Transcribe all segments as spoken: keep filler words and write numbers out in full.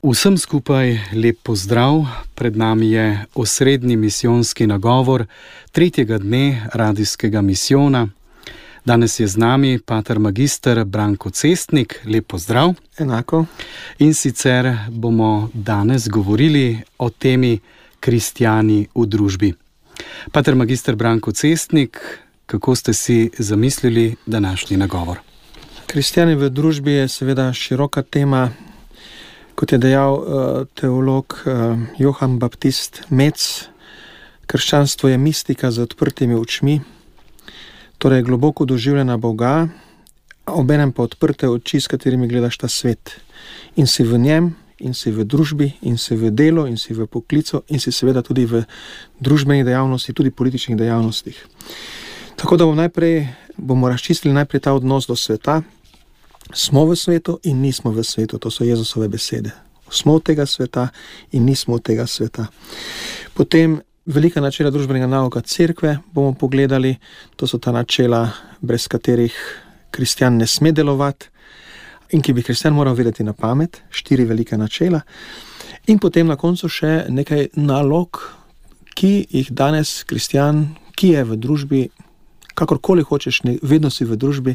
Vsem skupaj lep pozdrav, pred nami je osrednji misijonski nagovor tretjega dne radijskega misijona. Danes je z nami pater magister Branko Cestnik, lep pozdrav. Enako. In sicer bomo danes govorili o temi kristjani v družbi. Pater magister Branko Cestnik, kako ste si zamislili današnji nagovor? Kristjani v družbi je seveda široka tema. Kot je dejal uh, teolog uh, Johann Baptist Metz, krščanstvo je mistika z odprtimi očmi, torej globoko doživljena Boga, obenem pa odprte oči, s katerimi gledaš ta svet. In si v njem, in si v družbi, in si v delu, in si v poklicu, in si seveda tudi v družbenih dejavnostih, tudi političnih dejavnostih. Tako da bom najprej, bomo razčistili najprej ta odnos do sveta. Smo v svetu in nismo v svetu, to so Jezusove besede. Smo od tega sveta in nismo od tega sveta. Potem velika načela družbenega nauka cerkve bomo pogledali, to so ta načela, brez katerih kristjan ne sme delovati in ki bi kristjan moral vedeti na pamet, štiri velika načela. In potem na koncu še nekaj nalog, ki jih danes kristjan, ki je v družbi, kakorkoli hočeš, vedno si v družbi,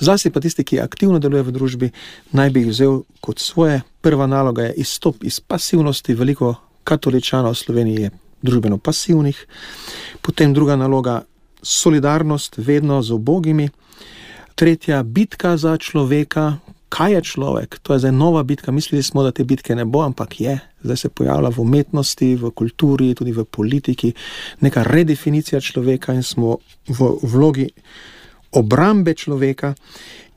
zlasti pa tisti, ki aktivno deluje v družbi, naj bi jih vzel kot svoje. Prva naloga je izstop iz pasivnosti. Veliko katoličanov v Sloveniji je družbeno pasivnih. Potem druga naloga, solidarnost vedno z ubogimi. Tretja, bitka za človeka. Kaj je človek? To je zdaj nova bitka. Mislili smo, da te bitke ne bo, ampak je. Zdaj se pojavlja v umetnosti, v kulturi, tudi v politiki neka redefinicija človeka in smo v vlogi obrambe človeka.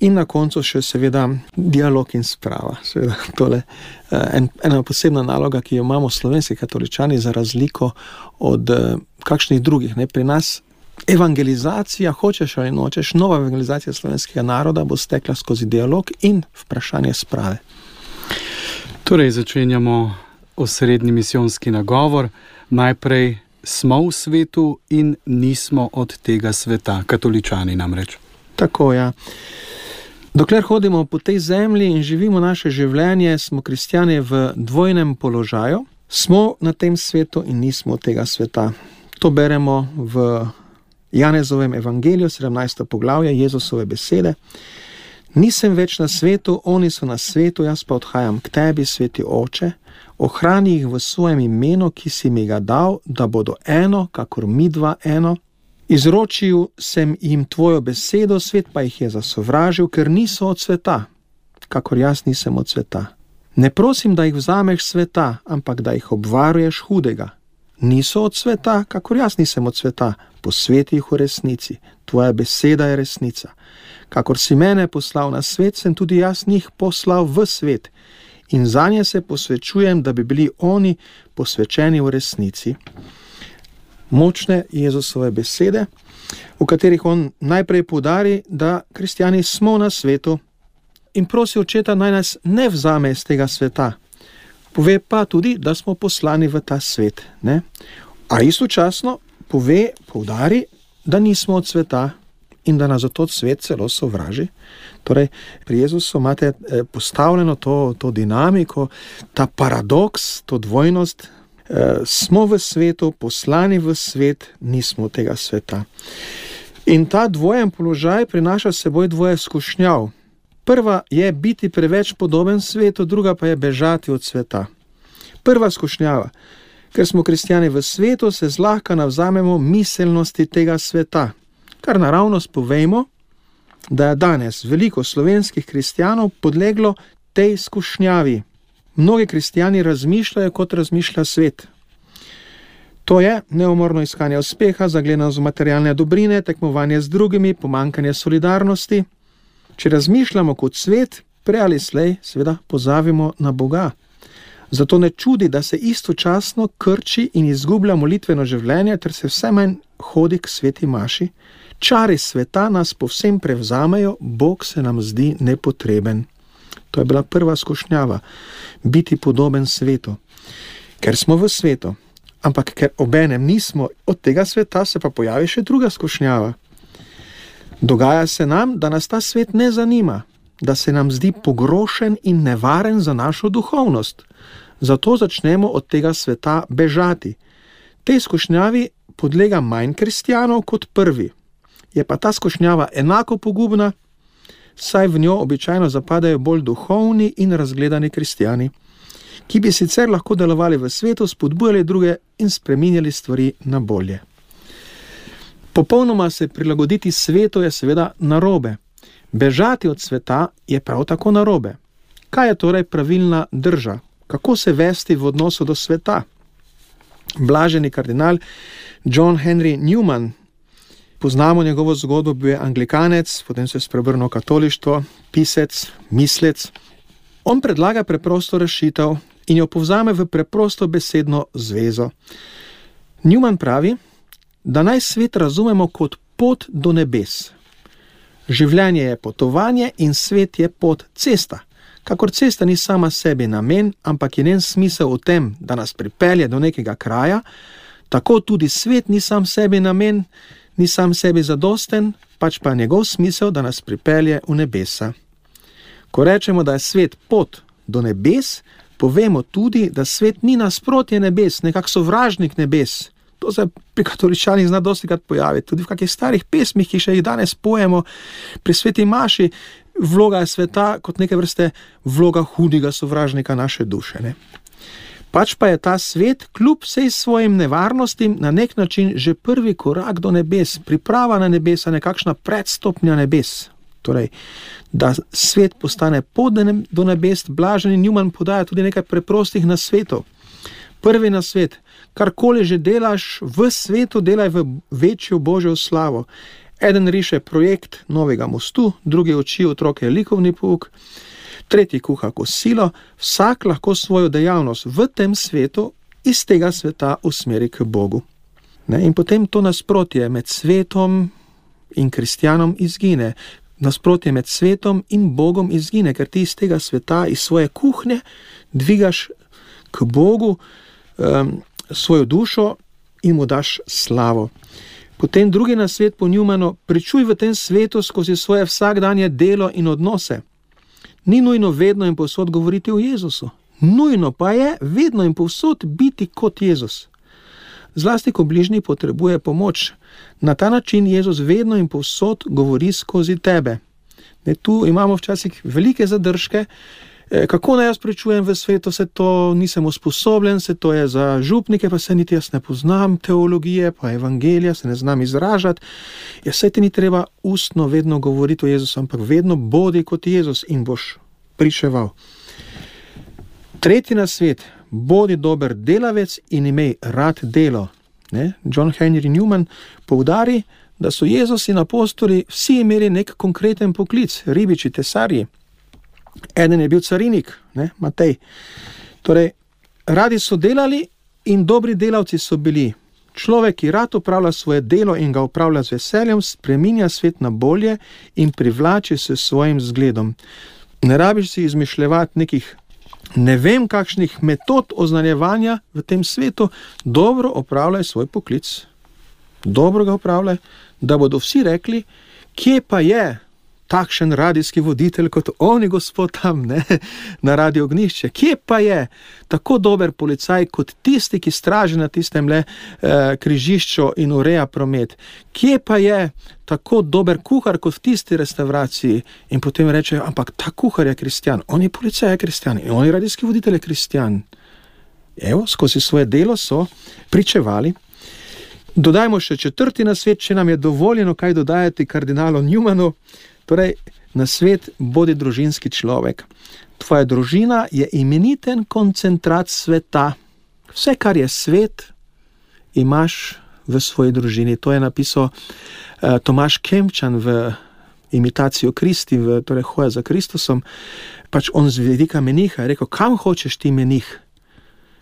In na koncu še seveda dialog in sprava. Seveda tole en, ena posebna naloga, ki jo imamo slovenski katoličani za razliko od kakšnih drugih. Ne? Pri nas evangelizacija, hočeš ali nočeš, nova evangelizacija slovenskega naroda bo stekla skozi dialog in vprašanje sprave. Torej, začenjamo osrednji misijonski nagovor. Najprej smo v svetu in nismo od tega sveta, katoličani namreč. Tako, ja. Dokler hodimo po tej zemlji in živimo naše življenje, smo kristjani v dvojnem položaju. Smo na tem svetu in nismo od tega sveta. To beremo v Janezovem evangeliju, sedemnajsto poglavje, Jezusove besede. Nisem več na svetu, oni so na svetu, jaz pa odhajam k tebi, sveti Oče. Ohrani jih v svojem imenu, ki si mi ga dal, da bodo eno, kakor midva eno. Izročil sem jim tvojo besedo, svet pa jih je zasovražil, ker niso od sveta, kakor jaz nisem od sveta. Ne prosim, da jih vzameš sveta, ampak da jih obvaruješ hudega. Niso od sveta, kakor jaz nisem od sveta, posveti jih v resnici. Tvoja beseda je resnica. Kakor si mene poslal na svet, sem tudi jaz njih poslal v svet. In zanje se posvečujem, da bi bili oni posvečeni v resnici. Močne Jezusove besede, v katerih on najprej poudari, da kristjani smo na svetu in prosi Očeta, naj nas ne vzame iz tega sveta. Pove pa tudi, da smo poslani v ta svet. Ne? A istočasno pove, poudari, da nismo od sveta in da nas zato svet celo sovraži. Torej, pri Jezusu imate postavljeno to, to dinamiko, ta paradoks, to dvojnost. E, smo v svetu, poslani v svet, nismo od tega sveta. In ta dvojen položaj prinaša s seboj dvoje skušnjav. Prva je biti preveč podoben svetu, druga pa je bežati od sveta. Prva skušnjava. Ker smo kristjani v svetu, se zlahka navzamemo miselnosti tega sveta. Kar naravnost povejmo, da je danes veliko slovenskih kristjanov podleglo tej skušnjavi. Mnogi kristjani razmišljajo, kot razmišlja svet. To je neumorno iskanje uspeha, zagledanost v materialne dobrine, tekmovanje z drugimi, pomanjkanje solidarnosti. Če razmišljamo kot svet, prej ali slej, seveda pozabimo na Boga. Zato ne čudi, da se istočasno krči in izgublja molitveno življenje, ter se vse manj hodi k sveti maši. Čari sveta nas povsem prevzamejo, Bog se nam zdi nepotreben. To je bila prva skušnjava, biti podoben svetu. Ker smo v svetu, ampak ker obenem nismo od tega sveta, se pa pojavi še druga skušnjava. Dogaja se nam, da nas ta svet ne zanima. da se nam zdi pogrošen in nevaren za našo duhovnost. Zato začnemo od tega sveta bežati. Tej skušnjavi podlega manj kristjanov kot prvi. Je pa ta skušnjava enako pogubna, saj v njo običajno zapadajo bolj duhovni in razgledani kristjani, ki bi sicer lahko delovali v svetu, spodbujali druge in spreminjali stvari na bolje. Popolnoma se prilagoditi svetu je seveda narobe. Bežati od sveta je prav tako narobe. Kaj je torej pravilna drža? Kako se vesti v odnosu do sveta? Blaženi kardinal John Henry Newman, poznamo njegovo zgodbo, bil je anglikanec, potem se je spreobrnil v katolištvo, pisec, mislec. On predlaga preprosto rešitev in jo povzame v preprosto besedno zvezo. Newman pravi, da naj svet razumemo kot pot do nebes. Življenje je potovanje in svet je pot, cesta. Kakor cesta ni sama sebi namen, ampak je njen smisel v tem, da nas pripelje do nekega kraja, tako tudi svet ni sam sebi namen, ni sam sebi zadosten, pač pa njegov smisel, da nas pripelje v nebesa. Ko rečemo, da je svet pot do nebes, povemo tudi, da svet ni nasprotje nebes, nekak sovražnik nebes. To se pri katoličanih zna dostikrat pojaviti, tudi v kakih starih pesmih, ki še jih danes pojemo pri sveti maši, vloga je sveta kot neke vrste vloga hudega sovražnika naše duše. Ne? Pač pa je ta svet, kljub vsej svojim nevarnostim, na nek način že prvi korak do nebes, priprava na nebesa, nekakšna predstopnja nebes. Torej, da svet postane pot do nebes, Blaženi Newman podaja tudi nekaj preprostih nasvetov. Prvi nasvet, karkoli že delaš v svetu, delaj v večjo Božjo slavo. Eden riše projekt novega mostu, drugi uči otroke likovni pouk, tretji kuha kosilo, vsak lahko svojo dejavnost v tem svetu iz tega sveta usmeri k Bogu. Ne? In potem to nasprotje med svetom in kristjanom izgine. Nasprotje med svetom in Bogom izgine, ker ti iz tega sveta, iz svoje kuhnje dvigaš k Bogu um, svojo dušo in mu daš slavo. Potem drugi nasvet po Newmanu, pričuj v tem svetu skozi svoje vsakdanje delo in odnose. Ni nujno vedno in povsod govoriti o Jezusu. Nujno pa je vedno in povsod biti kot Jezus. Zlasti, ko bližnji potrebuje pomoč. Na ta način Jezus vedno in povsod govori skozi tebe. Ne, tu imamo včasih velike zadržke, kako naj jaz pričujem v svetu, se to nisem usposobljen, se to je za župnike, pa se niti jaz ne poznam teologije, pa evangelija, se ne znam izražati. Ja, saj ti ni treba ustno vedno govoriti o Jezusu, ampak vedno bodi kot Jezus in boš pričeval. Tretji nasvet, bodi dober delavec in imej rad delo. Ne? John Henry Newman poudari, da so Jezus in apostoli vsi imeli nek konkreten poklic, ribiči, tesarji. Eden je bil carinik, ne, Matej. Torej, radi so delali in dobri delavci so bili. Človek, ki rad opravlja svoje delo in ga opravlja z veseljem, spreminja svet na bolje in privlači se svojim zgledom. Ne rabiš si izmišljevati nekih ne vem kakšnih metod oznanjevanja v tem svetu, dobro opravljaj svoj poklic. Dobro ga opravljaj, da bodo vsi rekli, kje pa je takšen radijski voditelj kot oni gospod tam, ne, na Radio Ognjišče. Kje pa je tako dober policaj kot tisti, ki straži na tistem le eh, križišču in ureja promet? Kje pa je tako dober kuhar kot v tisti restavraciji? In potem rečejo, ampak ta kuhar je kristjan, on je policaj je kristjan in on je radijski voditelj je kristjan. Evo, skozi svoje delo so pričevali. Dodajmo še četrti nasvet, če nam je dovoljeno kaj dodajati kardinalu Newmanu. Torej, nasvet, bodi družinski človek. Tvoja družina je imeniten koncentrat sveta. Vse, kar je svet, imaš v svoji družini. To je napisal uh, Tomaž Kempčan v Imitacijo Kristi, v torej Hoja za Kristusom. Pač on z vidika meniha je rekel, kam hočeš ti menih?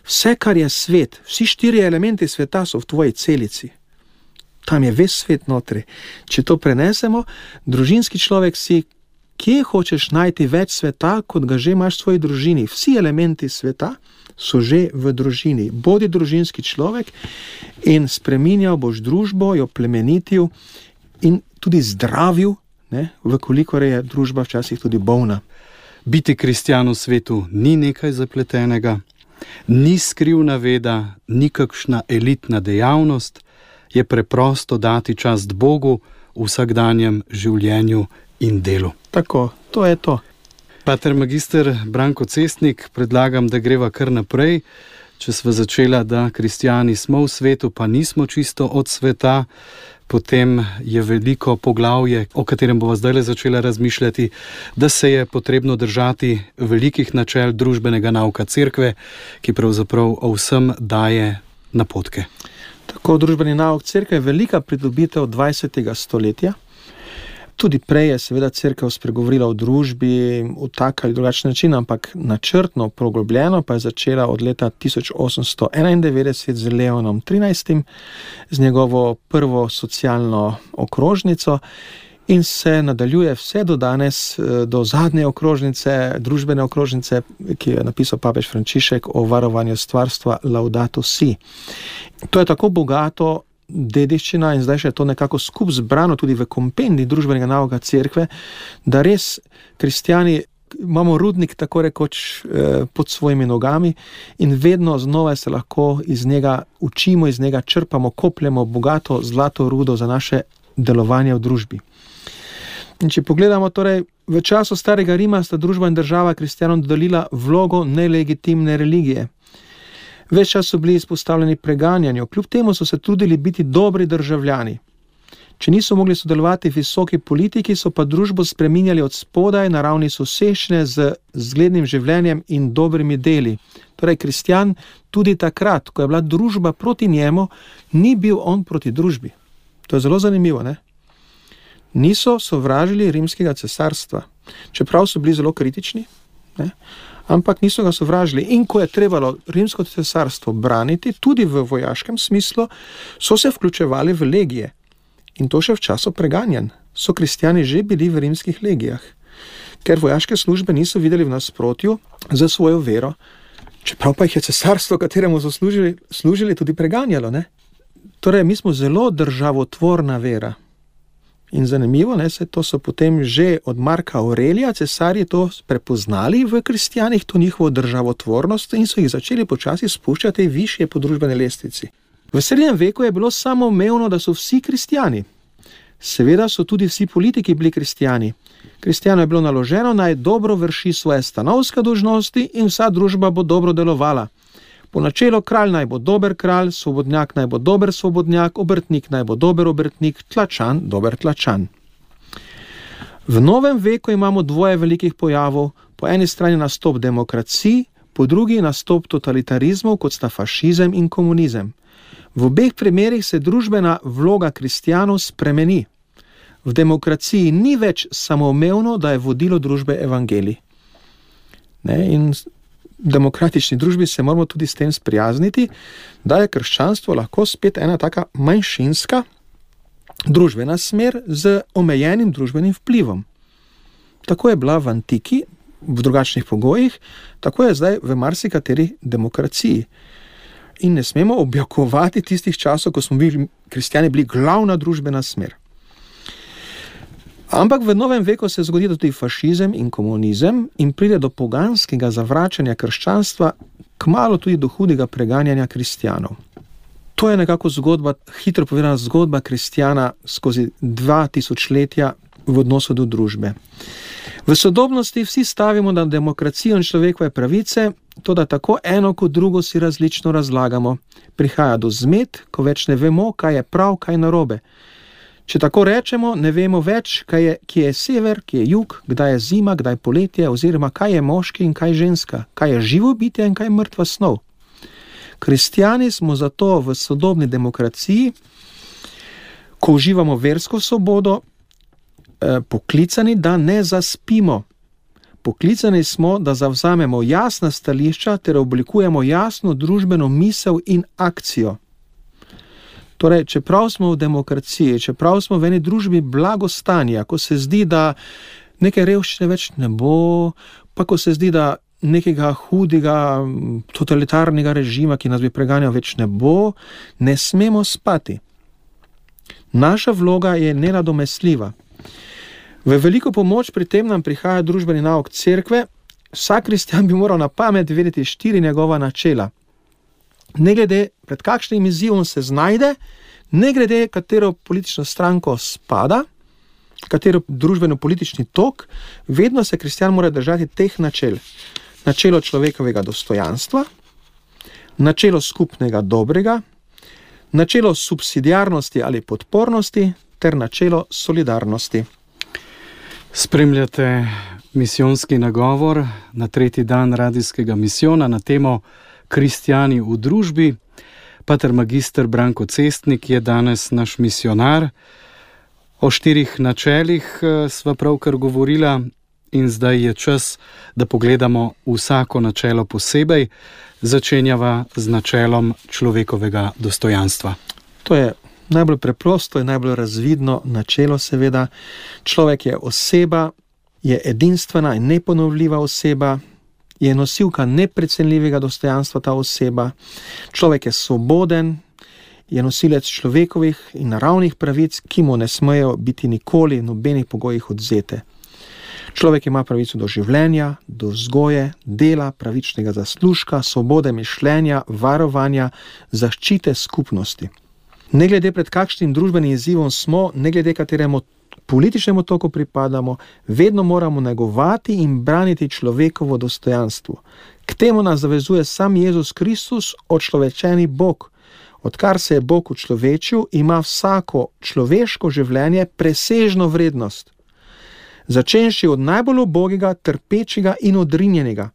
Vse, kar je svet, vsi štiri elementi sveta so v tvoji celici. Tam je ves svet notri. Če to prenesemo, družinski človek si, kje hočeš najti več sveta, kot ga že imaš v svoji družini. Vsi elementi sveta so že v družini. Bodi družinski človek in spreminjal boš družbo, jo plemenitil in tudi zdravil, ne, vkolikor je družba včasih tudi bolna. Biti kristjan v svetu ni nekaj zapletenega, ni skrivna veda, ni kakšna elitna dejavnost, je preprosto dati čast Bogu v vsakdanjem življenju in delu. Tako, to je to. Pater magister Branko Cestnik, predlagam, da greva kar naprej. Če sva začela, da kristjani smo v svetu, pa nismo čisto od sveta, potem je veliko poglavje, o katerem bova zdaj začela razmišljati, da se je potrebno držati velikih načel družbenega nauka cerkve, ki pravzaprav o vsem daje napotke. Tako, družbeni nauk cerkve je velika pridobitev dvajsetega stoletja. Tudi prej je seveda cerkev spregovorila o družbi v tak ali drugačen način, ampak načrtno, poglobljeno pa je začela od leta tisoč osemsto enaindevetdeset z Leonom trinajstim, z njegovo prvo socialno okrožnico in se nadaljuje vse do danes, do zadnje okrožnice, družbene okrožnice, ki je napisal papež Frančišek o varovanju stvarstva Laudato Si. To je tako bogato dediščina in zdaj še je to nekako skup zbrano tudi v kompendi družbenega nauka cerkve, da res kristjani imamo rudnik tako rekoč eh, pod svojimi nogami in vedno znova se lahko iz njega učimo, iz njega črpamo, kopljemo bogato zlato rudo za naše delovanje v družbi. In če pogledamo, torej, v času starega Rima sta družba in država kristjanom dodelila vlogo nelegitimne religije. Ves čas so bili izpostavljeni preganjanju, kljub temu so se trudili biti dobri državljani. Če niso mogli sodelovati v visoki politiki, so pa družbo spreminjali od spodaj na ravni soseščine z zglednim življenjem in dobrimi deli. Torej, kristjan tudi takrat, ko je bila družba proti njemu, ni bil on proti družbi. To je zelo zanimivo, ne? Niso sovražili rimskega cesarstva, čeprav so bili zelo kritični, ne? Ampak niso ga sovražili. In ko je trebalo rimsko cesarstvo braniti, tudi v vojaškem smislu, so se vključevali v legije. In to še v času preganjanj. So kristjani že bili v rimskih legijah, ker vojaške službe niso videli v nasprotju za svojo vero, čeprav pa jih je cesarstvo, kateremu so služili, služili tudi preganjalo, ne? Torej, mi smo zelo državotvorna vera. In zanimivo, ne, se to so potem že od Marka Aurelija cesarji to prepoznali v kristjanih, to njihovo državotvornost in so jih začeli počasi spuščati višje po družbene lestvici. V srednjem veku je bilo samoumevno, da so vsi kristjani. Seveda so tudi vsi politiki bili kristjani. Kristjanu je bilo naloženo, naj dobro vrši svoje stanovske dolžnosti in vsa družba bo dobro delovala. Po načelu kralj naj bo dober kralj, svobodnjak naj bo dober svobodnjak, obrtnik naj bo dober obrtnik, tlačan dober tlačan. V novem veku imamo dvoje velikih pojavov, po eni strani nastop demokracij, po drugi nastop totalitarizmov, kot sta fašizem in komunizem. V obeh primerih se družbena vloga kristjanov spremeni. V demokraciji ni več samoumevno, da je vodilo družbe evangelij. Ne, in v demokratični družbi se moramo tudi s tem sprijazniti, da je krščanstvo lahko spet ena taka manjšinska družbena smer z omejenim družbenim vplivom. Tako je bila v antiki, v drugačnih pogojih, tako je zdaj v marsikateri demokraciji. In ne smemo objokovati tistih časov, ko smo bili kristjani bili glavna družbena smer. Ampak v novem veku se zgodi tudi fašizem in komunizem in pride do poganskega zavračanja krščanstva, kmalu tudi do hudega preganjanja kristjanov. To je nekako zgodba, hitro povedana zgodba kristjana skozi dva tisočletja v odnosu do družbe. V sodobnosti vsi stavimo na demokracijo in človekove pravice, toda tako eno kot drugo si različno razlagamo. Prihaja do zmed, ko več ne vemo, kaj je prav, kaj narobe. Če tako rečemo, ne vemo več, kaj je, kje je sever, kje je jug, kdaj je zima, kdaj poletje, oziroma kaj je moški in kaj ženska, kaj je živo bitje in kaj je mrtva snov. Kristjani smo zato v sodobni demokraciji, ko uživamo versko svobodo, eh, poklicani, da ne zaspimo. Poklicani smo, da zavzamemo jasna stališča ter oblikujemo jasno družbeno misel in akcijo. Torej, čeprav smo v demokraciji, čeprav smo v eni družbi blagostanja, ko se zdi, da neke revščine več ne bo, pa ko se zdi, da nekega hudega totalitarnega režima, ki nas bi preganjal, več ne bo, ne smemo spati. Naša vloga je nenadomestljiva. V veliko pomoč pri tem nam prihaja družbeni nauk cerkve. Vsak kristjan bi moral na pamet vedeti štiri njegova načela. Ne glede, pred kakšnim izzivom se znajde, ne glede, katero politično stranko spada, katero družbeno-politični tok, vedno se kristjan mora držati teh načel. Načelo človekovega dostojanstva, načelo skupnega dobrega, načelo subsidiarnosti ali podpornosti ter načelo solidarnosti. Spremljate misijonski nagovor na tretji dan radijskega misijona na temo Kristjani v družbi. Pater magister Branko Cestnik je danes naš misijonar. O štirih načelih sva pravkar govorila in zdaj je čas, da pogledamo vsako načelo posebej. Začenjava z načelom človekovega dostojanstva. To je najbolj preprosto in najbolj razvidno načelo, seveda. Človek je oseba, je edinstvena in neponovljiva oseba, je nosilka neprecenljivega dostojanstva ta oseba. Človek je svoboden, je nosilec človekovih in naravnih pravic, ki mu ne smejo biti nikoli v nobenih pogojih odvzete. Človek ima pravico do življenja, do vzgoje, dela, pravičnega zaslužka, svobode mišljenja, varovanja, zaščite skupnosti. Ne glede pred kakšnim družbenim izzivom smo, ne glede kateremu političnemu toku pripadamo, vedno moramo negovati in braniti človekovo dostojanstvo. K temu nas zavezuje sam Jezus Kristus, očlovečeni Bog. Odkar se je Bog učlovečil, ima vsako človeško življenje presežno vrednost. Začenši od najbolj ubogega, trpečega in odrinjenega.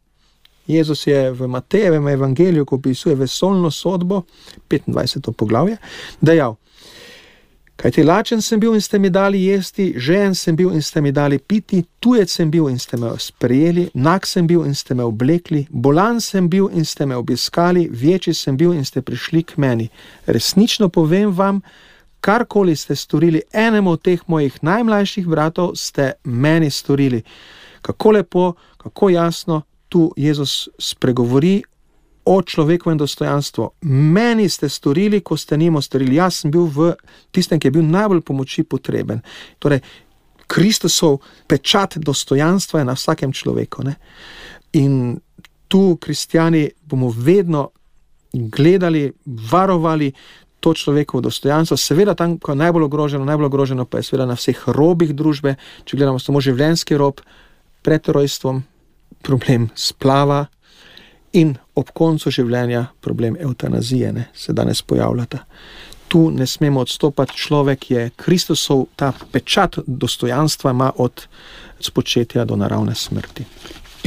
Jezus je v Matejevem evangeliju, ko opisuje vesoljno sodbo, petindvajseto poglavje, dejal: Kajti lačen sem bil in ste mi dali jesti, žejen sem bil in ste mi dali piti, tujec sem bil in ste me sprejeli, nag sem bil in ste me oblekli, bolan sem bil in ste me obiskali, večji sem bil in ste prišli k meni. Resnično povem vam, karkoli ste storili enemu od teh mojih najmlajših bratov, ste meni storili. Kako lepo, kako jasno tu Jezus spregovori o človekovem dostojanstvu. Meni ste storili, ko ste njemu storili. Jaz sem bil v tistem, ki je bil najbolj pomoči potreben. Torej, Kristusov pečat dostojanstva je na vsakem človeku. Ne? In tu, kristjani, bomo vedno gledali, varovali to človekovo dostojanstvo. Seveda tam, ko je najbolj ogroženo, najbolj ogroženo pa je seveda na vseh robih družbe. Če gledamo samo življenjski rob, pred rojstvom problem splava in ob koncu življenja problem evtanazije, ne, se danes pojavljata. Tu ne smemo odstopati, človek je Kristusov, ta pečat dostojanstva ima od spočetja do naravne smrti.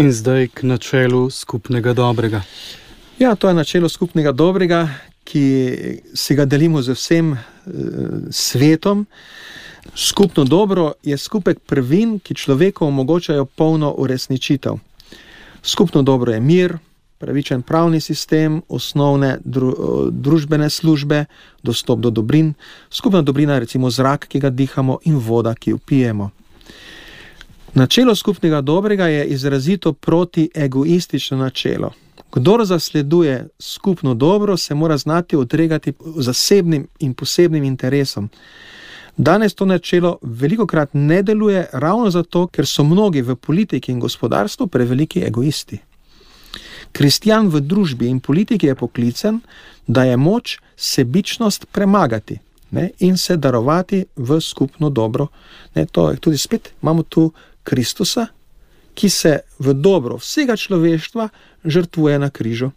In zdaj k načelu skupnega dobrega. Ja, to je načelo skupnega dobrega, ki si ga delimo z vsem e, svetom. Skupno dobro je skupek prvin, ki človeku omogočajo polno uresničitev. Skupno dobro je mir, pravičen pravni sistem, osnovne dru, družbene službe, dostop do dobrin. Skupna dobrina je recimo zrak, ki ga dihamo, in voda, ki jo pijemo. Načelo skupnega dobrega je izrazito protiegoistično načelo. Kdor zasleduje skupno dobro, se mora znati odregati zasebnim in posebnim interesom. Danes to načelo velikokrat ne deluje ravno zato, ker so mnogi v politiki in gospodarstvu preveliki egoisti. Kristjan v družbi in politiki je poklican, da je moč sebičnost premagati, ne, in se darovati v skupno dobro. Ne, to je tudi spet, imamo tu Kristusa, ki se v dobro vsega človeštva žrtvuje na križu.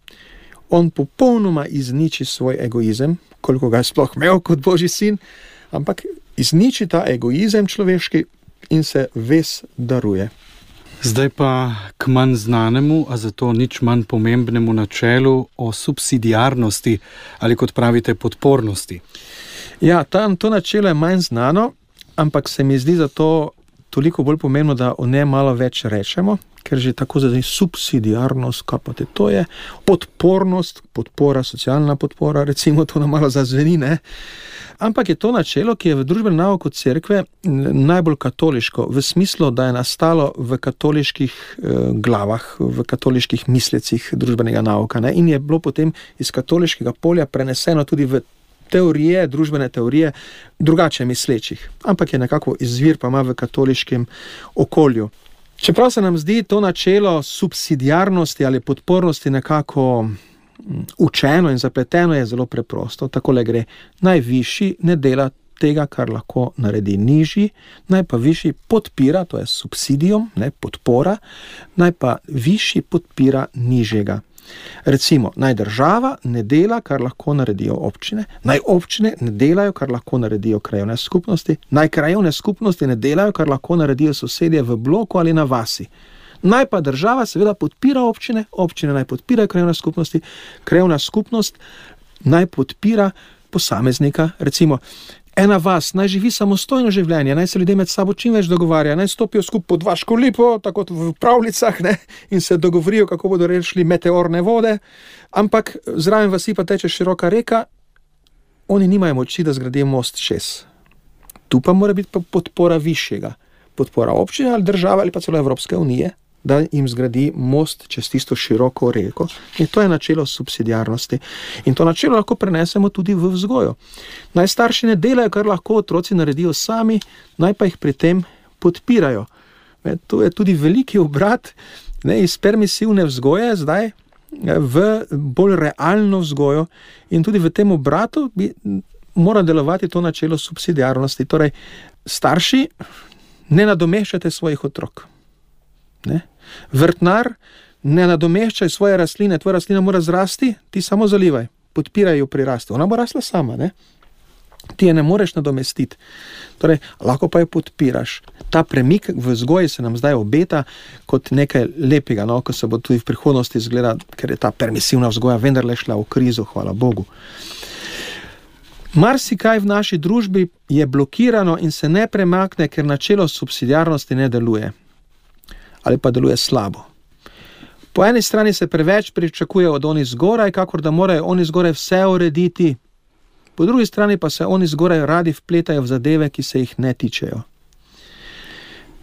On popolnoma izniči svoj egoizem, koliko ga je sploh imel kot Božji sin, ampak izniči ta egoizem človeški in se ves daruje. Zdaj pa k manj znanemu, a zato nič manj pomembnemu načelu o subsidiarnosti ali, kot pravite, podpornosti. Ja, ta, to načelo je manj znano, ampak se mi zdi zato toliko bolj pomembno, da o njem malo več rečemo, ker že tako zdaj subsidiarnost, kaj pa te to je, podpornost, podpora, socialna podpora, recimo to nam malo zazveni, ne? Ampak je to načelo, ki je v družbenem nauku cerkve najbolj katoliško, v smislu, da je nastalo v katoliških eh, glavah, v katoliških mislecih družbenega nauka, ne? In je bilo potem iz katoliškega polja preneseno tudi v teorije, družbene teorije drugače mislečih, ampak je nekako izvir pa ima v katoliškem okolju. Čeprav se nam zdi to načelo subsidiarnosti ali podpornosti nekako učeno in zapleteno, je zelo preprosto. Takole gre. Najvišji ne dela tega, kar lahko naredi nižji, naj pa višji podpira, to je subsidijum, ne, podpora, naj pa višji podpira nižjega. Recimo, naj država ne dela, kar lahko naredijo občine, naj občine ne delajo, kar lahko naredijo krajevne skupnosti, naj krajevne skupnosti ne delajo, kar lahko naredijo sosedje v bloku ali na vasi. Naj pa država seveda podpira občine, občine naj podpirajo krajevne skupnosti, krajevna skupnost naj podpira posameznika. Recimo, ena vas naj živi samostojno življenje, naj se ljudje med sabo čim več dogovarja, naj stopijo skupaj pod vaško lipo, tako v pravljicah, ne, in se dogovorijo, kako bodo rešili meteorne vode, ampak zraven vasi pa teče široka reka, oni nimajo moči, da zgradijo most čez. Tu pa mora biti podpora višjega, podpora občine ali države ali pa celo Evropske unije, da jim zgradi most čez tisto široko reko. In to je načelo subsidiarnosti. In to načelo lahko prenesemo tudi v vzgojo. Naj starši ne delajo, kar lahko otroci naredijo sami, naj pa jih pri tem podpirajo. Ne, to je tudi veliki obrat, ne, iz permisivne vzgoje zdaj v bolj realno vzgojo, in tudi v tem obratu bi mora delovati to načelo subsidiarnosti. Torej, starši, ne nadomeščate svojih otrok. Ne? Vrtnar, ne nadomeščaj svoje rastline, tvoja rastlina mora zrasti, ti samo zalivaj, podpiraj jo pri rastu, ona bo rasla sama, ne? Ti je ne moreš nadomestiti, torej, lahko pa jo podpiraš. Ta premik v vzgoji se nam zdaj obeta kot nekaj lepega, no? Ko se bo tudi v prihodnosti izgleda, ker je ta permisivna vzgoja vendarle šla v krizo, hvala Bogu. Marsikaj v naši družbi je blokirano in se ne premakne, ker načelo subsidiarnosti ne deluje. Ali pa deluje slabo. Po eni strani se preveč pričakuje od oni zgoraj, kakor da morajo oni zgoraj vse urediti. Po drugi strani pa se oni zgoraj radi vpletajo v zadeve, ki se jih ne tičejo.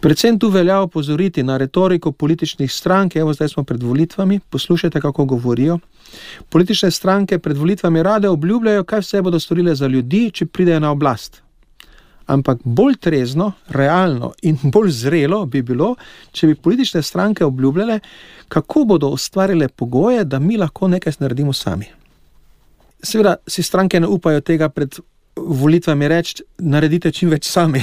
Predvsem tu velja opozoriti na retoriko političnih strank, evo zdaj smo pred volitvami, poslušajte, kako govorijo. Politične stranke pred volitvami rade obljubljajo, kaj vse bodo storile za ljudi, če pridejo na oblast. Ampak bolj trezno, realno in bolj zrelo bi bilo, če bi politične stranke obljubljale, kako bodo ustvarile pogoje, da mi lahko nekaj naredimo sami. Seveda si stranke ne upajo tega pred volitvami reči, naredite čim več sami,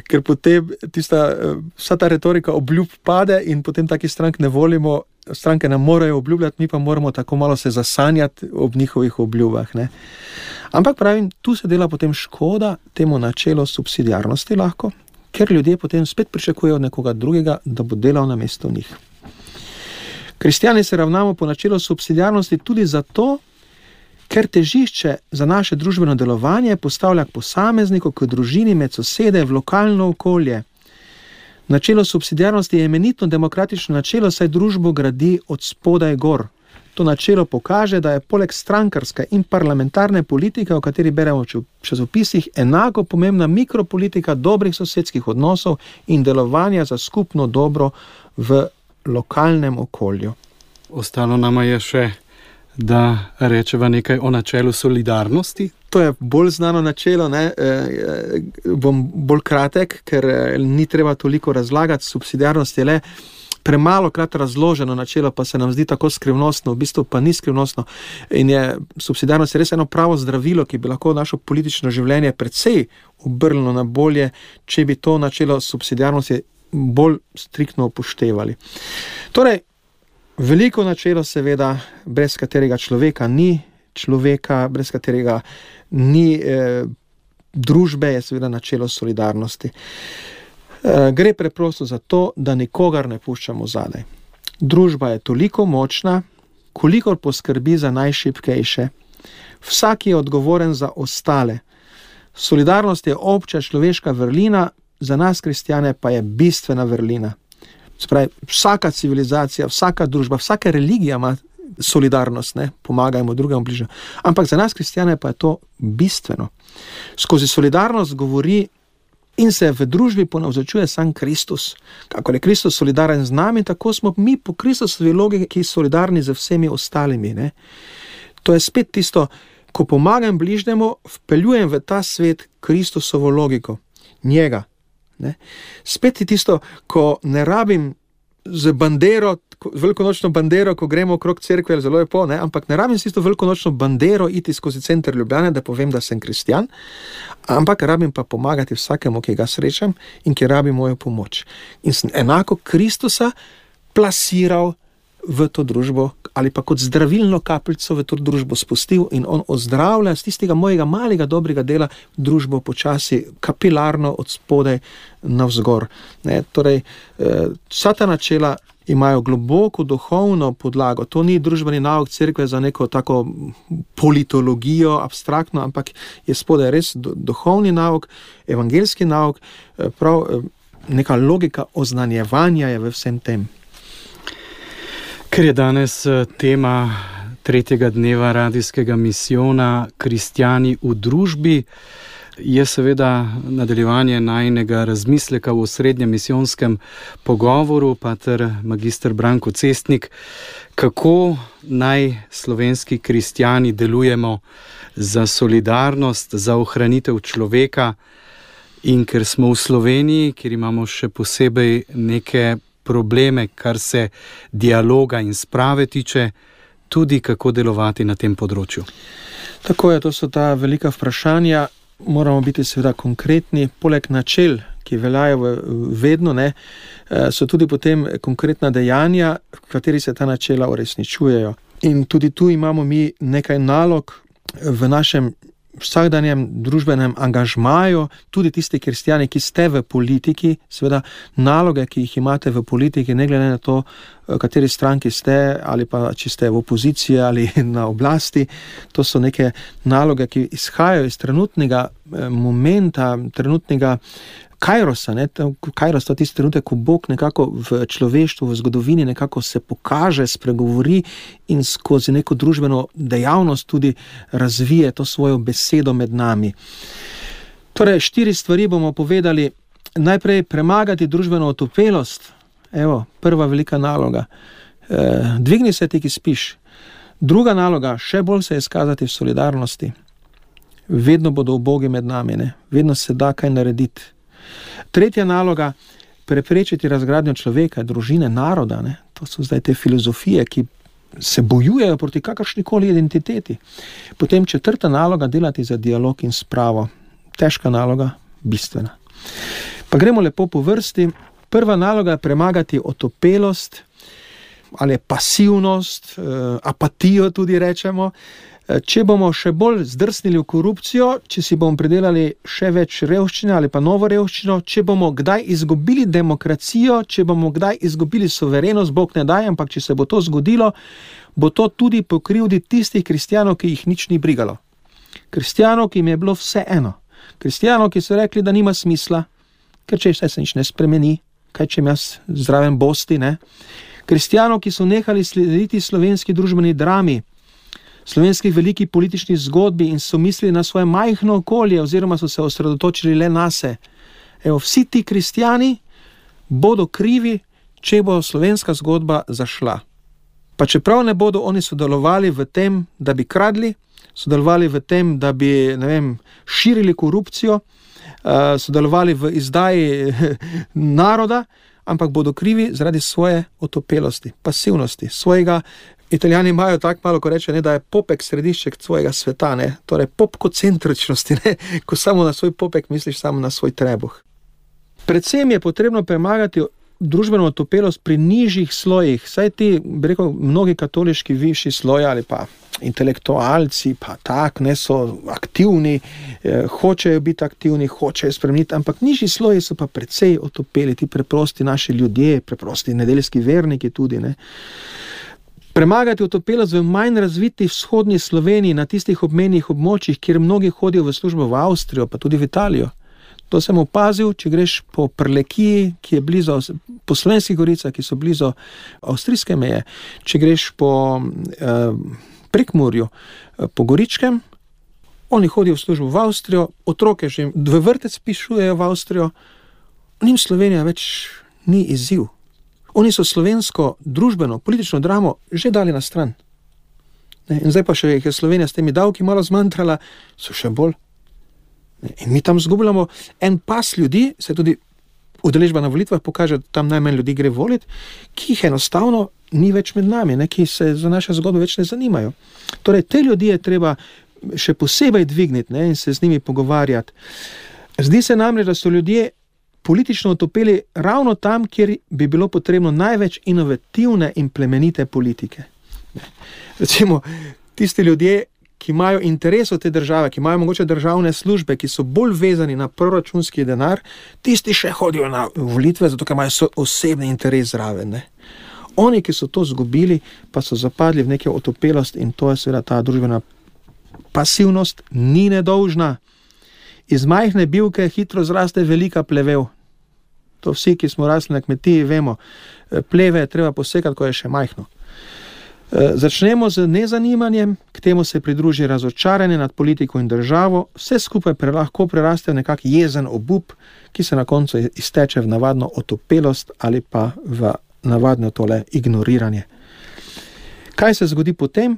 ker potem tista, vsa ta retorika obljub pade in potem takih strank ne volimo, stranke nam morajo obljubljati, mi pa moramo tako malo se zasanjati ob njihovih obljubah, ne. Ampak pravim, tu se dela potem škoda temu načelu subsidiarnosti lahko, ker ljudje potem spet pričakujejo od nekoga drugega, da bo delal namesto njih. Kristjani se ravnamo po načelu subsidiarnosti tudi zato, ker težišče za naše družbeno delovanje postavlja k posamezniku, k družini, med sosede, v lokalno okolje. Načelo subsidiarnosti je eminentno demokratično načelo, saj družbo gradi od spodaj gor. To načelo pokaže, da je poleg strankarske in parlamentarne politike, o kateri beremo v časopisih, enako pomembna mikropolitika dobrih sosedskih odnosov in delovanja za skupno dobro v lokalnem okolju. Ostalo nama je še, da rečeva nekaj o načelu solidarnosti. To je bolj znano načelo, ne? E, bom bolj kratek, ker ni treba toliko razlagati. Subsidiarnost je le premalo krat razloženo načelo, pa se nam zdi tako skrivnostno, v bistvu pa ni skrivnostno. In je subsidiarnost je res eno pravo zdravilo, ki bi lahko našo politično življenje precej obrnilo na bolje, če bi to načelo subsidiarnosti bolj striktno upoštevali. Torej, veliko načelo seveda, brez katerega človeka ni človeka, brez katerega ni eh, družbe, je seveda načelo solidarnosti. Eh, gre preprosto za to, da nikogar ne puščamo zadaj. Družba je toliko močna, kolikor poskrbi za najšibkejše. Vsak je odgovoren za ostale. Solidarnost je obča človeška vrlina, za nas kristjane pa je bistvena vrlina. Spravi, vsaka civilizacija, vsaka družba, vsaka religija ima solidarnost, ne, pomagajmo drugemu bližje. Ampak za nas kristjane pa je to bistveno. Skozi solidarnost govori in se v družbi ponavzačuje sam Kristus. Kako je Kristus solidaren z nami, tako smo mi po Kristusovi logiki solidarni z vsemi ostalimi. Ne. To je spet tisto Ko pomagam bližnjemu, vpeljujem v ta svet Kristusovo logiko, njega. Ne? Spet je tisto, ko ne rabim z bandero, velikonočno bandero, ko gremo okrog cerkve, zelo lepo, ne? Ampak ne rabim s tisto velikonočno bandero iti skozi center Ljubljane, da povem, da sem kristjan, ampak rabim pa pomagati vsakemu, ki ga srečam in ki rabi mojo pomoč. In sem enako Kristusa plasiral v to družbo ali pa kot zdravilno kapljico v to družbo spustil in on ozdravlja z tistega mojega malega dobrega dela družbo počasi kapilarno od spodaj navzgor. Ne, torej, vsa ta načela imajo globoko duhovno podlago. To ni družbeni nauk cerkve za neko tako politologijo, abstraktno, ampak je spodaj res duhovni nauk, evangeljski nauk, prav neka logika oznanjevanja je v vsem tem. Ker je danes tema tretjega dneva radijskega misijona Kristjani v družbi, je seveda nadaljevanje najinega razmisleka v osrednjem misijonskem pogovoru, pater magister Branko Cestnik, kako naj slovenski kristjani delujemo za solidarnost, za ohranitev človeka, in ker smo v Sloveniji, kjer imamo še posebej neke probleme, kar se dialoga in sprave tiče, tudi kako delovati na tem področju. Tako je, to so ta velika vprašanja, moramo biti seveda konkretni, poleg načel, ki veljajo vedno, ne, so tudi potem konkretna dejanja, v kateri se ta načela uresničujejo. In tudi tu imamo mi nekaj nalog v našem vsakdanjem družbenem angažmaju, tudi tisti kristjani, ki ste v politiki, seveda naloge, ki jih imate v politiki, ne glede na to, kateri stranki ste, ali pa či ste v opoziciji ali na oblasti, to so neke naloge, ki izhajajo iz trenutnega momenta, trenutnega kairosa, ne, kairos to je tisti trenutek, ko Bog nekako v človeštvu, v zgodovini nekako se pokaže, spregovori in skozi neko družbeno dejavnost tudi razvije to svojo besedo med nami. Torej, štiri stvari bomo povedali. Najprej premagati družbeno otopelost. Evo, prva velika naloga. E, dvigni se ti, ki spiš. Druga naloga, še bolj se izkazati v solidarnosti. Vedno bodo ubogi med nami, ne? Vedno se da kaj narediti. Tretja naloga, preprečiti razgradnjo človeka, družine, naroda. Ne? To so zdaj te filozofije, ki se bojujejo proti kakršnikoli identiteti. Potem četrta naloga, delati za dialog in spravo. Težka naloga, bistvena. Pa gremo lepo po vrsti. Prva naloga je premagati otopelost ali pasivnost, apatijo tudi rečemo. Če bomo še bolj zdrsnili v korupcijo, če si bomo pridelali še več revščine ali pa novo revščino, če bomo kdaj izgubili demokracijo, če bomo kdaj izgubili suverenost, Bog ne daj, ampak če se bo to zgodilo, bo to tudi po krivdi tistih kristjanov, ki jih nič ni brigalo. Kristjanov, ki jim je bilo vse eno. Kristjanov, ki so rekli, da nima smisla, ker če se nič ne spremeni, kaj če jaz zraven bosti, ne? Kristjanov, ki so nehali slediti slovenski družbeni drami, slovenskih veliki politični zgodbi in so mislili na svoje majhno okolje oziroma so se osredotočili le nase. Evo, vsi ti kristjani bodo krivi, če bo slovenska zgodba zašla. Pa čeprav ne bodo oni sodelovali v tem, da bi kradli, sodelovali v tem, da bi, ne vem, širili korupcijo, sodelovali v izdaji naroda, ampak bodo krivi zaradi svoje otopelosti, pasivnosti, svojega. Italijani imajo tako malo, ko reče, ne, da je popek središček svojega sveta, ne, torej popkocentričnosti, ne, ko samo na svoj popek misliš samo na svoj trebuh. Predvsem je potrebno premagati družbeno otopelost pri nižjih slojih, saj ti, bi rekel, mnogi katoliški višji sloji ali pa intelektualci, pa tak, ne, so aktivni, eh, hočejo biti aktivni, hočejo spremeniti, ampak nižji sloji so pa precej otopeli, ti preprosti naši ljudje, preprosti nedeljski verniki tudi, ne. Premagati otopelost v manj razviti vzhodni Sloveniji, na tistih obmejnih območjih, kjer mnogi hodijo v službo v Avstrijo, pa tudi v Italijo. To sem opazil, če greš po Prlekiji, ki je blizu, po Slovenskih goricah, ki so blizu avstrijske meje, če greš po eh, Prekmurju, po Goričkem, oni hodijo v službo v Avstrijo, otroke že v vrtec pišujejo v Avstrijo, njim Slovenija več ni izziv. Oni so slovensko družbeno, politično dramo že dali na stran. Ne? In zdaj pa še je Slovenija s temi davki malo zmantrala, so še bolj. Ne? In mi tam zgubljamo en pas ljudi, se tudi udeležba na volitvah pokaže, da tam najmanj ljudi gre voliti, ki jih enostavno ni več med nami, ne? Ki se za naše zgodbe več ne zanimajo. Torej, te ljudi je treba še posebej dvigniti, ne? In se z njimi pogovarjati. Zdi se namreč, da so ljudje politično otopeli ravno tam, kjer bi bilo potrebno največ inovativne in plemenite politike. Recimo, tisti ljudje, ki imajo interes od te države, ki imajo mogoče državne službe, ki so bolj vezani na proračunski denar, tisti še hodijo na volitve, zato ker imajo osebni interes zraven. Ne? Oni, ki so to zgubili, pa so zapadli v neke otopelost in to je seveda ta družbena pasivnost, ni nedolžna. Iz majhne bilke hitro zraste velika plevel. To vsi, ki smo rasli na kmetiji, vemo. Pleve je treba posekati, ko je še majhno. Začnemo z nezanimanjem, k temu se pridruži razočaranje nad politiko in državo, vse skupaj pre, lahko preraste v nekak jezen obup, ki se na koncu izteče v navadno otopelost ali pa v navadno tole ignoriranje. Kaj se zgodi potem?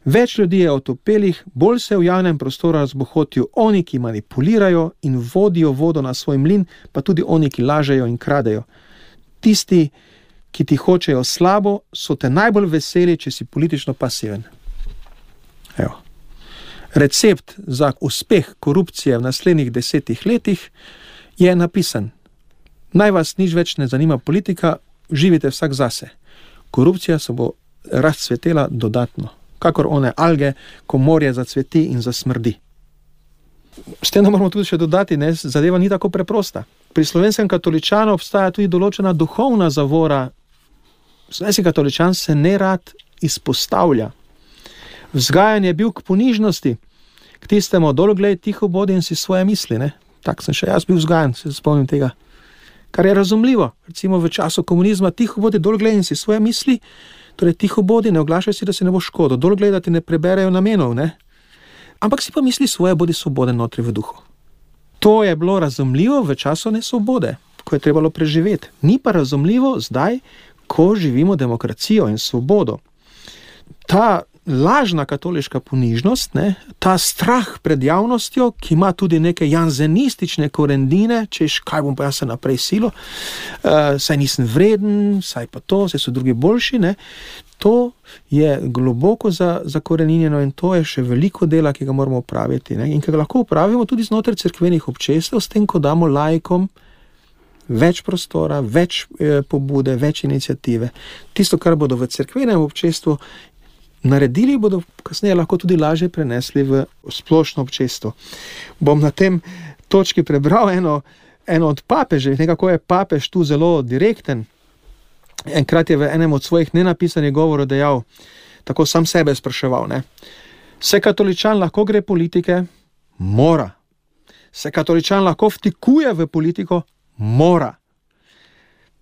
Več ljudi je otopelih, bolj se v javnem prostoru razbohotijo oni, ki manipulirajo in vodijo vodo na svoj mlin, pa tudi oni, ki lažejo in kradejo. Tisti, ki ti hočejo slabo, so te najbolj veseli, če si politično pasiven. Evo. Recept za uspeh korupcije v naslednjih desetih letih je napisan. Naj vas nič več ne zanima politika, živite vsak zase. Korupcija se bo razcvetela dodatno, kakor one alge, ko morje zacveti in zasmrdi. S tem moramo tudi še dodati, ne, zadeva ni tako preprosta. Pri slovenskem katoličanu obstaja tudi določena duhovna zavora. Slovenski katoličan se nerad izpostavlja. Vzgajan je bil k ponižnosti, k tistemu dol glej, tiho bodi in si svoje misli. Ne? Tak sem še jaz bil vzgajan, se spomnim tega. Kar je razumljivo. Recimo v času komunizma tiho bodi, dol glej in si svoje misli, torej tiho bodi, ne oglašaj si, da se ne bo škodo, dol glej, da ti ne preberejo namenov, ne? Ampak si pa misli svoje, bodi svoboden notri v duhu. To je bilo razumljivo v času nesvobode, ko je trebalo preživeti. Ni pa razumljivo zdaj, ko živimo demokracijo in svobodo. Ta lažna katoliška ponižnost, ne, ta strah pred javnostjo, ki ima tudi neke janzenistične korendine, češ, kaj bom pa jaz se naprej silo, uh, saj nisem vreden, saj pa to, saj so drugi boljši, ne, to je globoko za, zakoreninjeno in to je še veliko dela, ki ga moramo opraviti. Ne, in ki ga lahko opravimo tudi znotraj cerkvenih občestev, s tem, ko damo laikom več prostora, več eh, pobude, več iniciative. Tisto, kar bodo v cerkvenem občestvu naredili, bodo kasneje lahko tudi lažje prenesli v splošno občestvo. Bom na tem točki prebral eno, eno od papežev, nekako je papež tu zelo direkten. Enkrat je v enem od svojih nenapisanih govorov dejal, tako sam sebe spraševal, ne? Se katoličan lahko gre politike? Mora. Se katoličan lahko vtikuje v politiko? Mora.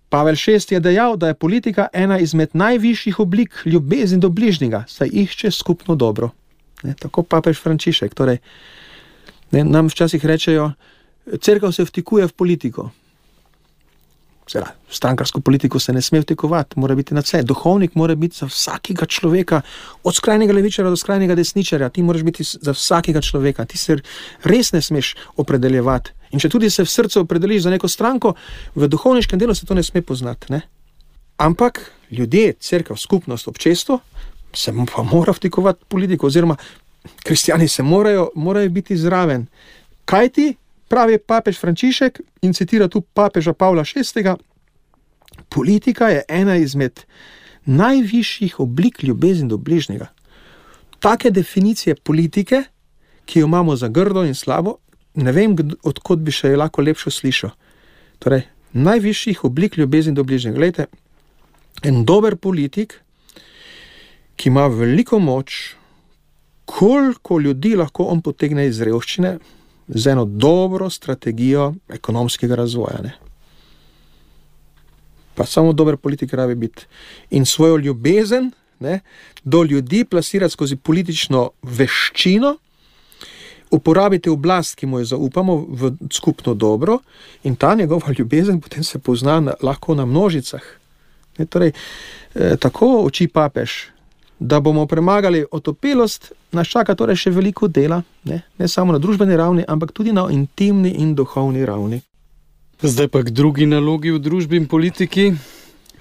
Pavel šesti je dejal, da je politika ena izmed najvišjih oblik ljubezni do bližnjega, saj išče skupno dobro. Ne, tako papež Frančišek. Torej, ne, nam včasih rečejo, cerkev se vtikuje v politiko. Seveda, v strankarsko politiko se ne sme vtikovati, mora biti na vse. Duhovnik mora biti za vsakega človeka, od skrajnega levičarja do skrajnega desničarja, ti moraš biti za vsakega človeka, ti se res ne smeš opredeljevati. In če tudi se v srcu opredeliš za neko stranko, v duhovniškem delu se to ne sme poznati. Ne? Ampak ljudje, cerkev, skupnost, občestvo se pa mora vtikovati politiko, oziroma kristjani se morajo, morajo biti zraven. Kaj ti? Pravi papež Frančišek in citira tu papeža Pavla šestega. Politika je ena izmed najvišjih oblik ljubezni do bližnjega. Take definicije politike, ki jo imamo za grdo in slabo, ne vem, odkot bi še lahko lepšo slišal. Torej, najvišjih oblik ljubezni do bližnjega. Glejte, en dober politik, ki ima veliko moč, koliko ljudi lahko on potegne iz revščine, z eno dobro strategijo ekonomskega razvoja. Ne? Pa samo dober politik rabi biti. In svojo ljubezen, ne, do ljudi plasirati skozi politično veščino, uporabiti oblast, ki mu jo zaupamo, v skupno dobro, in ta njegova ljubezen potem se pozna na, lahko na množicah. Ne, torej, eh, tako oči papež, Da bomo premagali otopelost, nas čaka torej še veliko dela, ne, ne samo na družbeni ravni, ampak tudi na intimni in duhovni ravni. Zdaj pa k drugi nalogi v družbi in politiki.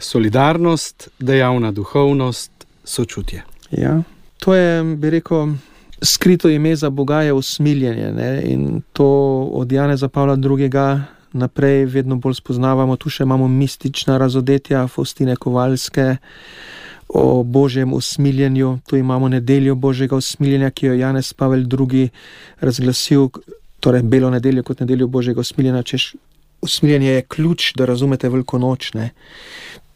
Solidarnost, dejavna duhovnost, sočutje. Ja, to je, bi rekel, skrito ime za Boga je usmiljenje, ne? In to od Janeza Pavla drugega naprej vedno bolj spoznavamo. Tu še imamo mistična razodetja Faustine Kovalske o Božjem usmiljenju. Tu imamo nedeljo Božjega usmiljenja, ki jo Janez Pavel drugi razglasil, torej belo nedeljo kot nedeljo Božjega usmiljenja, češ usmiljenje je ključ, da razumete Veliko noč, ne.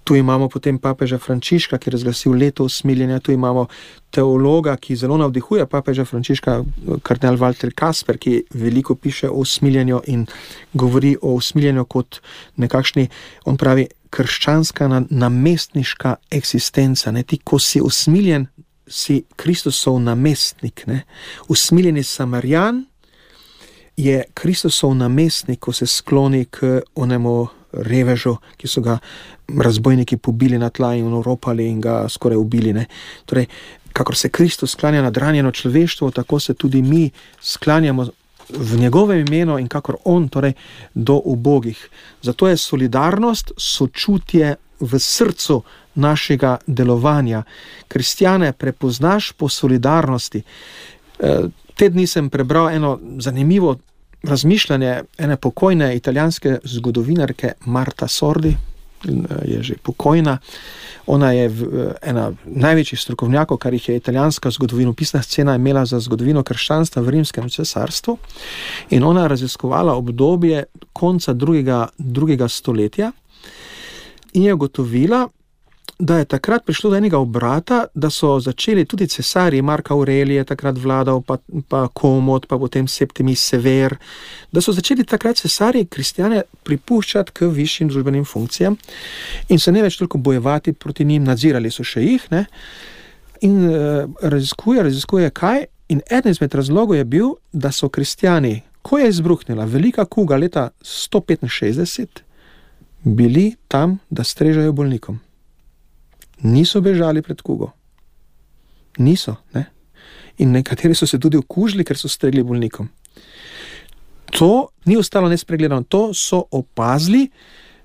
Tu imamo potem papeža Frančiška, ki je razglasil leto usmiljenja, tu imamo teologa, ki zelo navdihuje papeža Frančiška, kardinal Walter Kasper, ki veliko piše o usmiljenju in govori o usmiljenju kot nekakšni, on pravi, krščanska namestniška eksistenca. Ne? Ti, ko si usmiljen, si Kristusov namestnik. Ne? Usmiljeni Samarjan je Kristusov namestnik, ko se skloni k onemu revežu, ki so ga razbojniki pobili na tla in oropali in ga skoraj ubili. Ne? Torej, kakor se Kristus sklanja nad ranjeno človeštvo, tako se tudi mi sklanjamo v njegovem imenu in kakor on, torej do ubogih. Zato je solidarnost, sočutje v srcu našega delovanja. Kristjane prepoznaš po solidarnosti. Te dni sem prebral eno zanimivo razmišljanje ene pokojne italijanske zgodovinarke Marta Sordi, je že pokojna. Ona je ena največjih strokovnjakov, kar jih je italijanska zgodovinopisna scena imela za zgodovino krščanstva v Rimskem cesarstvu. In ona je raziskovala obdobje konca drugega, drugega stoletja in je ugotovila, da je takrat prišlo do enega obrata, da so začeli tudi cesarji, Mark Aurelij je takrat vladal, pa, pa Komod, pa potem Septimius Sever, da so začeli takrat cesarji kristjane pripuščati k višjim družbenim funkcijam in se ne več toliko bojevati proti njim, nadzirali so še jih, ne? In uh, raziskuje, raziskuje kaj, in eden izmed razlogov je bil, da so kristjani, ko je izbruhnila velika kuga leta sto petinšestdeset, bili tam, da strežejo bolnikom. Niso bežali pred kugo. Niso, ne? In nekateri so se tudi okužili, ker so stregli bolnikom. To ni ostalo nespregledano, to so opazili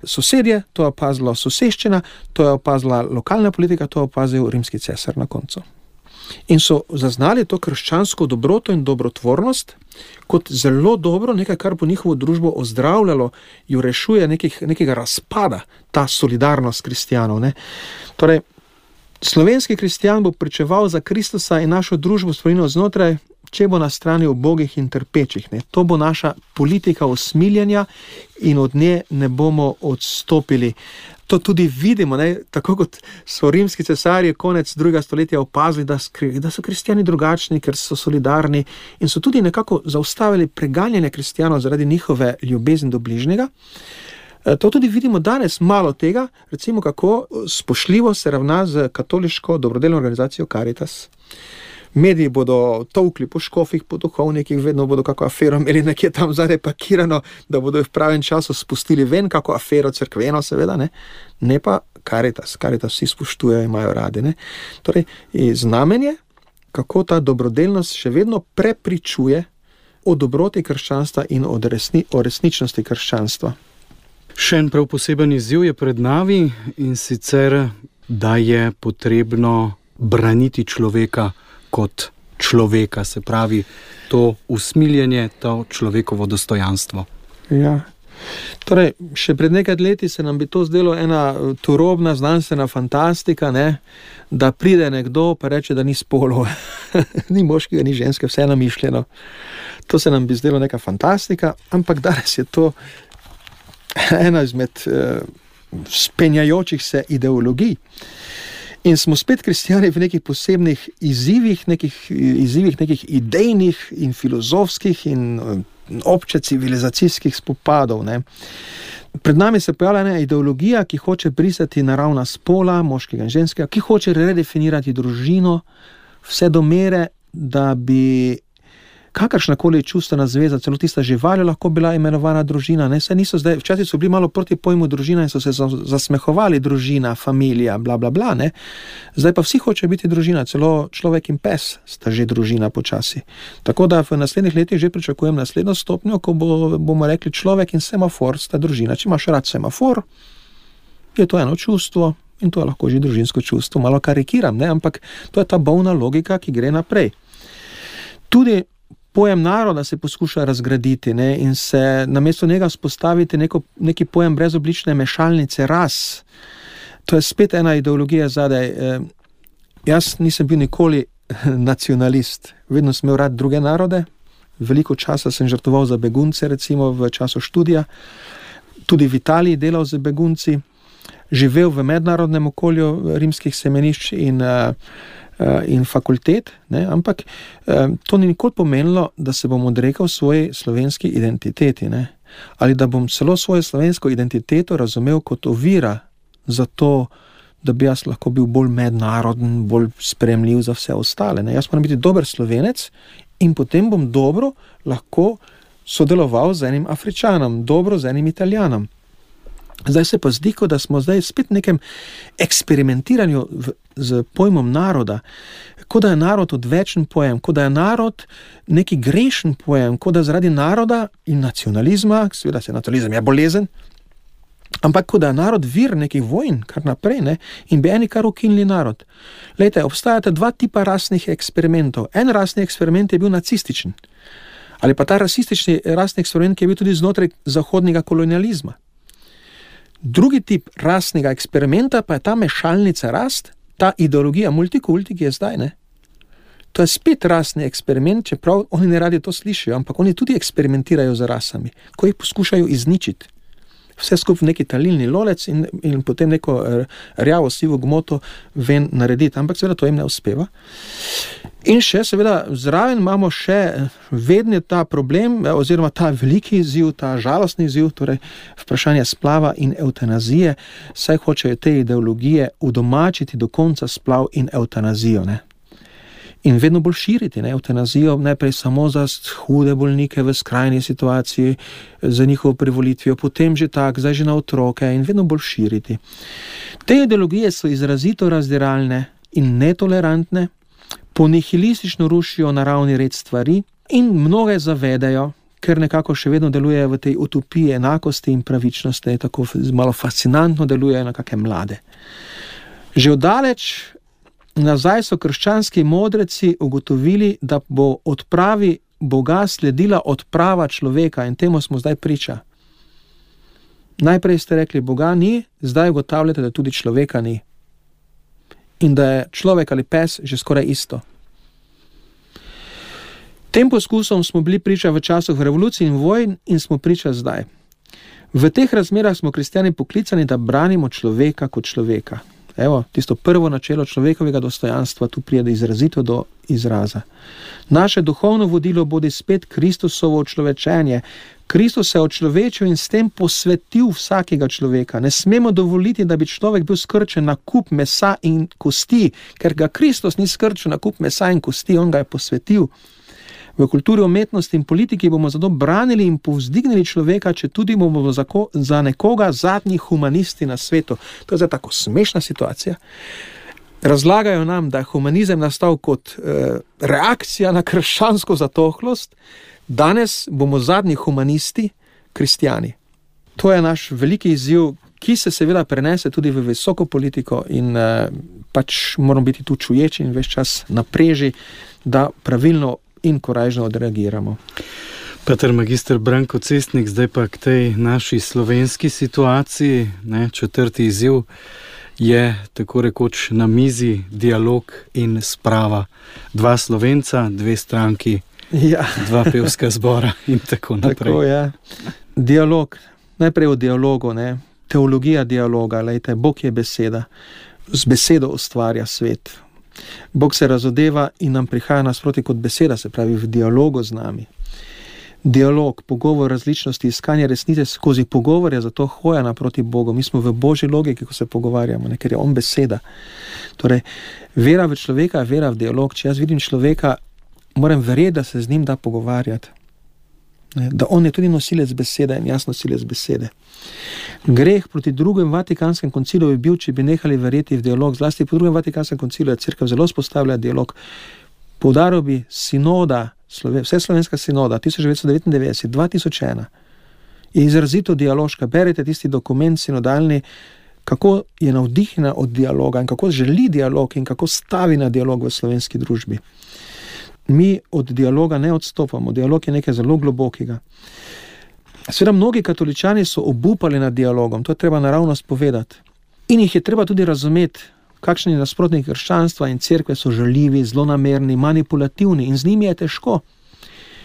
sosedje, to je opazila soseščina, to je opazila lokalna politika, to je opazil rimski cesar na koncu. In so zaznali to krščansko dobroto in dobrotvornost kot zelo dobro, nekaj, kar bo njihovo družbo ozdravljalo, jo rešuje nekih, nekega razpada, ta solidarnost kristjanov. Ne? Torej, slovenski kristjan bo pričeval za Kristusa in našo družbo spremenil znotraj, če bo na strani ubogih in trpečih. Ne? To bo naša politika usmiljenja in od nje ne bomo odstopili. To tudi vidimo, ne? Tako kot so rimski cesarji konec drugega stoletja opazili, da, da so kristjani drugačni, ker so solidarni in so tudi nekako zaustavili preganjanje kristjanov zaradi njihove ljubezni do bližnjega. To tudi vidimo danes malo tega, recimo kako spoštljivo se ravna z katoliško dobrodelno organizacijo Caritas. Mediji bodo tolkli po škofih, po duhovnikih, vedno bodo kako afero imeli nekje tam zadaj pakirano, da bodo v pravem času spustili ven kako afero cerkveno, seveda, ne, ne pa Caritas. Caritas vsi spoštujejo, imajo radi, ne. Torej, znamenje, kako ta dobrodelnost še vedno prepričuje o dobroti krščanstva in o, resni, o resničnosti krščanstva. Še en prav poseben izziv je pred nami in sicer, da je potrebno braniti človeka kot človeka, se pravi to usmiljenje, to človekovo dostojanstvo. Ja, torej, še pred nekaj leti se nam bi to zdelo ena turobna znanstvena fantastika, ne? Da pride nekdo pa reče, da ni spolov, ni moškega, ni ženske, vse je namišljeno. To se nam bi zdelo neka fantastika, ampak danes je to ena izmed uh, spenjajočih se ideologij. In smo spet kristjani v nekih posebnih izzivih, nekih izzivih, nekih idejnih in filozofskih in obče civilizacijskih spopadov. Ne. Pred nami se pojavlja ena ideologija, ki hoče brisati naravna spola, moškega in ženskega, ki hoče redefinirati družino, vse do mere, da bi kakršnakoli čustvena zveza, celo tista žival je lahko bila imenovana družina. Ne? Saj niso zdaj, včasih so bili malo proti pojmu družina in so se zasmehovali družina, familija, bla, bla, bla. Ne? Zdaj pa vsi hočejo biti družina, celo človek in pes sta že družina počasi. Tako da v naslednjih letih že pričakujem naslednjo stopnjo, ko bo, bomo rekli človek in semafor sta družina. Če imaš rad semafor, je to eno čustvo in to je lahko že družinsko čustvo. Malo karikiram, ne? Ampak to je ta bolna logika, ki gre naprej. Tudi pojem naroda se poskuša razgraditi, ne, in se namesto njega spostaviti neko, neki pojem brezoblične mešalnice ras. To je spet ena ideologija zadaj. E, jaz nisem bil nikoli nacionalist, vedno sem imel rad druge narode, veliko časa sem žrtvoval za begunce, recimo v času študija, tudi v Italiji delal z begunci, živel v mednarodnem okolju rimskih semenišč in in fakultet, ne, ampak eh, to ni nikoli pomenilo, da se bom odrekal svoji slovenski identiteti, ne, ali da bom celo svojo slovensko identiteto razumel kot ovira za to, da bi jaz lahko bil bolj mednaroden, bolj sprejemljiv za vse ostale. Ne. Jaz moram biti dober Slovenec in potem bom dobro lahko sodeloval z enim Afričanom, dobro z enim Italijanom. Zdaj se pa zdi, da smo zdaj spet v nekem eksperimentiranju v, z pojmom naroda, kot da je narod odvečen pojem, kot da je narod neki grešen pojem, kot da zaradi naroda in nacionalizma, seveda se nacionalizem je bolezen, ampak kot da je narod vir nekih vojn, kar naprej, ne, in bi eni kar ukinili narod. Lejte, obstajata dva tipa rasnih eksperimentov. En rasni eksperiment je bil nacističen, ali pa ta rasistični rasni eksperiment, ki je bil tudi znotraj zahodnega kolonializma. Drugi tip rasnega eksperimenta pa je ta mešalnica rast, ta ideologija multikulti, ki je zdaj, ne. To je spet rasni eksperiment, čeprav oni ne radi to slišijo, ampak oni tudi eksperimentirajo z rasami, ko jih poskušajo izničiti. Vse skupaj neki talilni lolec in, in potem neko rjavo sivo gmoto ven narediti, ampak seveda to jim ne uspeva. In še seveda zraven imamo še vedno ta problem, oziroma ta veliki izziv, ta žalostni izziv, torej vprašanje splava in evtanazije, saj hočejo te ideologije udomačiti do konca splav in evtanazijo, ne. In vedno bolj širiti, ne, evtanazijo najprej samo za hude bolnike v skrajni situaciji, za njihovo privolitvijo, potem že tak, zdaj že na otroke in vedno bolj širiti. Te ideologije so izrazito razdiralne in netolerantne, ponihilistično rušijo naravni red stvari in mnoge zavedajo, ker nekako še vedno delujejo v tej utopiji enakosti in pravičnosti, tako malo fascinantno delujejo na kakšne mlade. Že oddaleč nazaj so krščanski modreci ugotovili, da bo odpravi Boga sledila odprava človeka in temu smo zdaj priča. Najprej ste rekli, Boga ni, zdaj ugotavljate, da tudi človeka ni. In da je človek ali pes že skoraj isto. Tem poskusom smo bili priča v času revolucij in vojn in smo priča zdaj. V teh razmerah smo kristjani poklicani, da branimo človeka kot človeka. Evo, tisto prvo načelo človekovega dostojanstva tu pride izrazito do izraza. Naše duhovno vodilo bodi spet Kristusovo očlovečenje. Kristus se je očlovečil in s tem posvetil vsakega človeka. Ne smemo dovoliti, da bi človek bil skrčen na kup mesa in kosti, ker ga Kristus ni skrčil na kup mesa in kosti, on ga je posvetil. V kulturi, umetnosti in politiki bomo zato branili in povzdignili človeka, če tudi bomo za, ko, za nekoga zadnji humanisti na svetu. To je zdaj tako smešna situacija. Razlagajo nam, da je humanizem nastal kot eh, reakcija na krščansko zatohlost, danes bomo zadnji humanisti, kristjani. To je naš veliki izziv, ki se seveda prenese tudi v visoko politiko in eh, pač moramo biti tu čuječi in ves čas na preži, da pravilno in korajžno odreagiramo. Pater magister Branko Cestnik, zdaj pa k tej naši slovenski situaciji, ne, četrti izziv je tako rekoč na mizi dialog in sprava. Dva Slovenca, dve stranki, ja. Dva pevska zbora in tako naprej. Tako, ja. Dialog, najprej o dialogu, ne. Teologija dialoga, lejte, Bog je beseda, z besedo ustvarja svet. Bog se razodeva in nam prihaja nasproti kot beseda, se pravi v dialogu z nami. Dialog, pogovor različnosti, iskanje resnice skozi pogovor je zato hoja naproti Bogu. Mi smo v Božji logiki, ko se pogovarjamo, ne, ker je on beseda. Torej, vera v človeka je vera v dialog. Če jaz vidim človeka, moram verjeti, da se z njim da pogovarjati. Da on je tudi nosilec besede in jaz nosilec besede. Greh proti drugem Vatikanskem koncilu bi bil, če bi nehali verjeti v dialog. Zlasti po drugem Vatikanskem koncilu je cerkev zelo spostavlja dialog. Poudaril bi sinoda, vse slovenska sinoda, tisoč devetsto devetindevetdeset, dva tisoč ena, je izrazito dialoška. Berite tisti dokument sinodalni, kako je navdihnjena od dialoga in kako želi dialog in kako stavi na dialog v slovenski družbi. Mi od dialoga ne odstopamo, dialog je nekaj zelo globokega. Seveda mnogi katoličani so obupali nad dialogom, to je treba naravnost povedati. In jih je treba tudi razumeti, kakšni nasprotniki krščanstva in cerkve so žaljivi, zlonamerni, manipulativni in z njimi je težko.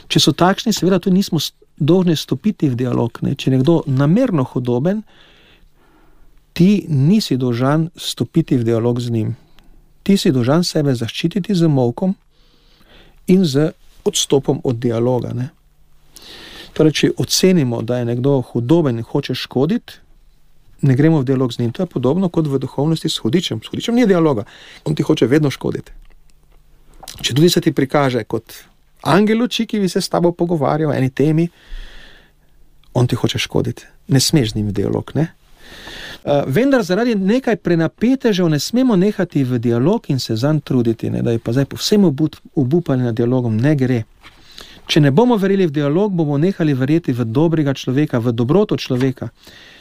Če so takšni, seveda tudi nismo dolžni stopiti v dialog. Ne? Če je nekdo namerno hudoben, ti nisi dolžan stopiti v dialog z njim. Ti si dolžan sebe zaščititi z molkom in z odstopom od dialoga. Ne? Torej, če ocenimo, da je nekdo hudoben in hoče škoditi, ne gremo v dialog z njim. To je podobno kot v duhovnosti s hudičem. S hudičem ni dialoga. On ti hoče vedno škoditi. Če tudi se ti prikaže kot angel luči, ki bi se s tabo pogovarjal o eni temi, on ti hoče škoditi. Ne smeš z njim v dialog, ne? Uh, vendar zaradi nekaj prenapetežev ne smemo nehati v dialog in se zanj truditi, ne? Da je pa zdaj povsem obupali nad dialogom. Ne gre. Če ne bomo verjeli v dialog, bomo nehali verjeti v dobrega človeka, v dobroto človeka.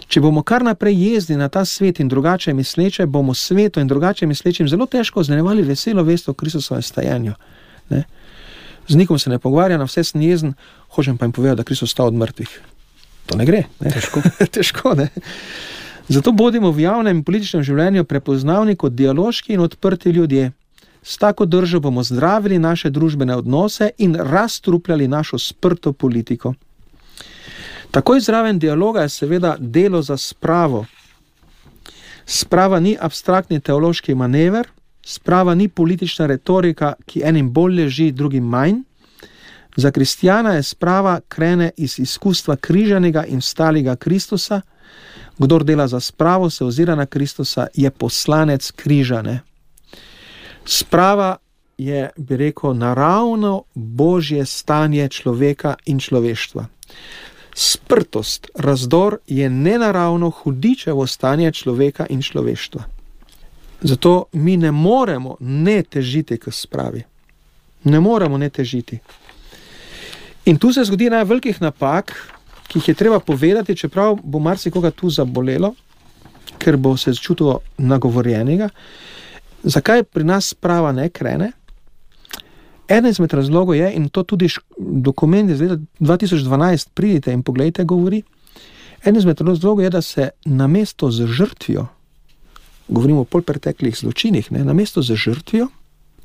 Če bomo kar naprej jezdili na ta svet in drugače misleče, bomo svetu in drugače mislečim zelo težko znevarjevali veselo vest o Kristusovem stajanju. Ne? Z nikom se ne pogovarja, na vse sem jezen, hočem pa jim povedati, da Kristus vstal od mrtvih. To ne gre. Ne? Težko. Težko, ne? Zato bodimo v javnem in političnem življenju prepoznavni kot dialoški in odprti ljudje. S tako držo bomo zdravili naše družbene odnose in razstrupljali našo sprto politiko. Takoj zraven dialoga je seveda delo za spravo. Sprava ni abstraktni teološki manever, sprava ni politična retorika, ki enim bolj leži, drugim manj. Za kristjana je sprava krene iz izkustva križanega in vstalega Kristusa. Kdor dela za spravo, se ozira na Kristusa, je poslanec križane. Sprava je, bi rekel, naravno božje stanje človeka in človeštva. Sprtost, razdor je nenaravno hudičevo stanje človeka in človeštva. Zato mi ne moremo ne težiti k spravi. Ne moremo ne težiti. In tu se zgodi ena velikih napak, ki jih je treba povedati, čeprav bo marsikoga tu zabolelo, ker bo se začutil nagovorjenega. Zakaj pri nas sprava ne krene? Eden izmed razlogov je, in to tudi dokument iz leta dva tisoč dvanajst, pridite in pogledajte, govori, eden izmed razlogov je, da se namesto z žrtvijo, govorimo o polpreteklih zločinih, ne, namesto z žrtvijo,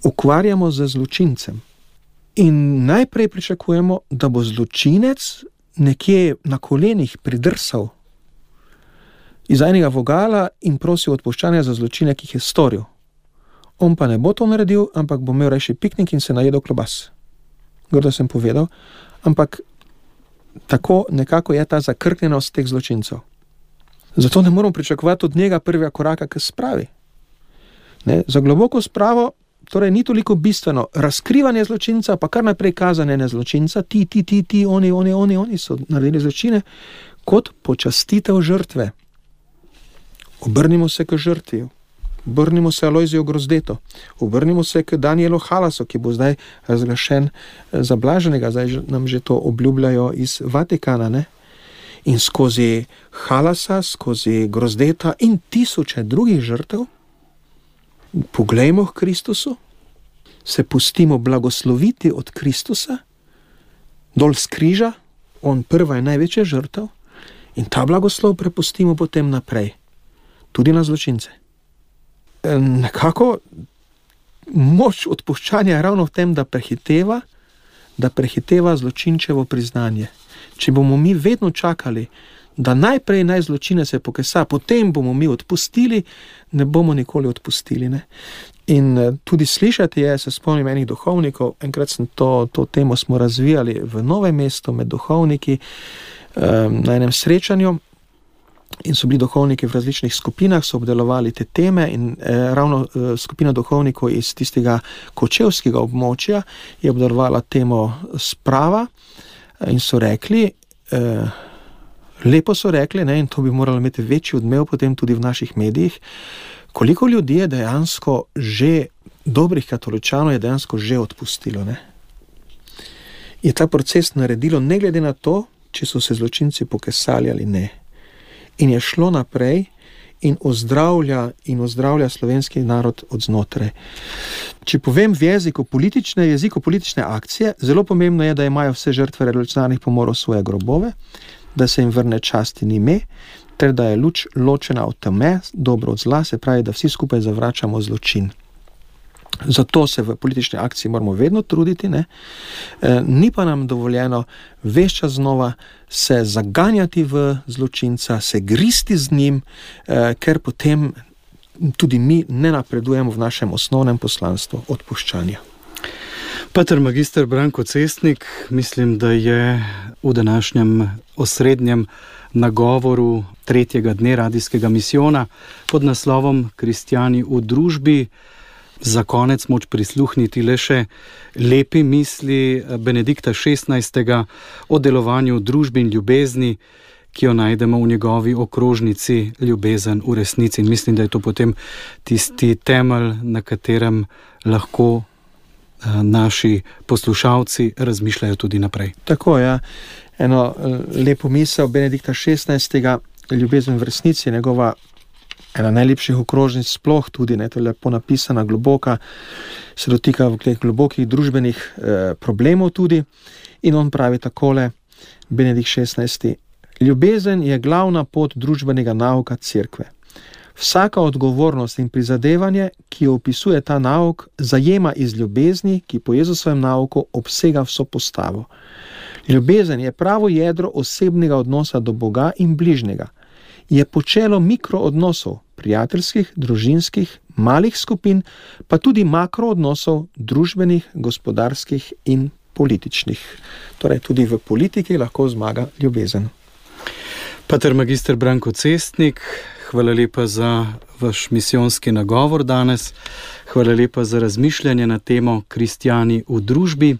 ukvarjamo z zločincem. In najprej pričakujemo, da bo zločinec nekje na kolenih pridrsal iz enega vogala in prosil odpuščanja za zločine, ki jih je storil. On pa ne bo to naredil, ampak bo imel rajši piknik in se najedel klobas. Grdo sem povedal, ampak tako nekako je ta zakrknjenost teh zločincev. Zato ne moramo pričakovati od njega prvega koraka k spravi. Ne? Za globoko spravo torej ni toliko bistveno razkrivanje zločinca, pa kar naprej kazanje na zločinca, ti, ti, ti, ti, oni, oni, oni, oni so naredili zločine, kot počastitev žrtve. Obrnimo se k žrtvi. Obrnimo se Alojziju Grozdeto, obrnimo se k Danielu Halasu, ki bo zdaj razglašen za blaženega, zdaj nam že to obljubljajo iz Vatikana, ne? In skozi Halasa, skozi Grozdeta in tisoče drugih žrtev poglejmo k Kristusu, se pustimo blagosloviti od Kristusa, dol z križa, on prva je največja žrtev, in ta blagoslov prepustimo potem naprej, tudi na zločince. Nekako moč odpuščanja je ravno v tem, da prehiteva, da prehiteva zločinčevo priznanje. Če bomo mi vedno čakali, da najprej naj zločine se pokesa, potem bomo mi odpustili, ne bomo nikoli odpustili. Ne? In tudi slišati je, se spomnim enih duhovnikov, enkrat sem to, to temo smo razvijali v Novem mestu med duhovniki um, na enem srečanju, in so bili duhovniki v različnih skupinah, so obdelovali te teme in eh, ravno eh, skupina duhovnikov iz tistega kočevskega območja je obdelovala temo sprava eh, in so rekli, eh, lepo so rekli, ne, in to bi moralo imeti večji odmev potem tudi v naših medijih, koliko ljudi je dejansko že, dobrih katoličanov je dejansko že odpustilo, ne. Je ta proces naredilo ne glede na to, če so se zločinci pokesali ali ne. In je šlo naprej in ozdravlja, in ozdravlja slovenski narod od znotraj. Če povem v jeziku politične, jeziku politične akcije, zelo pomembno je, da imajo vse žrtve revolucionarnih pomorov svoje grobove, da se jim vrne čast in ime, ter da je luč ločena od teme, dobro od zla, se pravi, da vsi skupaj zavračamo zločin. Zato se v politični akciji moramo vedno truditi, ne? E, ni pa nam dovoljeno ves čas znova se zaganjati v zločinca, se gristi z njim, e, ker potem tudi mi ne napredujemo v našem osnovnem poslanstvu odpuščanja. Pater magister Branko Cestnik, mislim, da je v današnjem osrednjem nagovoru tretjega dne radijskega misijona pod naslovom Kristjani v družbi za konec moč prisluhniti le še lepi misli Benedikta šestnajstega o delovanju družbi in ljubezni, ki jo najdemo v njegovi okrožnici Ljubezen v resnici. In mislim, da je to potem tisti temelj, na katerem lahko naši poslušalci razmišljajo tudi naprej. Tako, ja. Eno lepo misel Benedikta šestnajstega, Ljubezen v resnici, njegova ena najlepših okrožnic sploh tudi, ne, to je lepo napisana, globoka, se dotika v teh globokih družbenih eh, problemov tudi. In on pravi takole, Benedikt šestnajsti, ljubezen je glavna pot družbenega nauka cerkve. Vsaka odgovornost in prizadevanje, ki jo opisuje ta nauk, zajema iz ljubezni, ki po Jezusovem nauku obsega vso postavo. Ljubezen je pravo jedro osebnega odnosa do Boga in bližnjega. Je počelo mikroodnosov, prijateljskih, družinskih, malih skupin, pa tudi makroodnosov, družbenih, gospodarskih in političnih. Torej tudi v politiki lahko zmaga ljubezen. Pater magister Branko Cestnik, hvala lepa za vaš misijonski nagovor danes, hvala lepa za razmišljanje na temo Kristjani v družbi.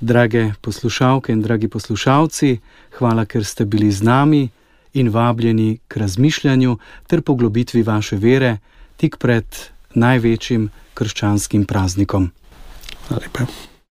Drage poslušalke in dragi poslušalci, hvala, ker ste bili z nami in vabljeni k razmišljanju ter poglobitvi vaše vere tik pred največjim krščanskim praznikom. Hvala lepa.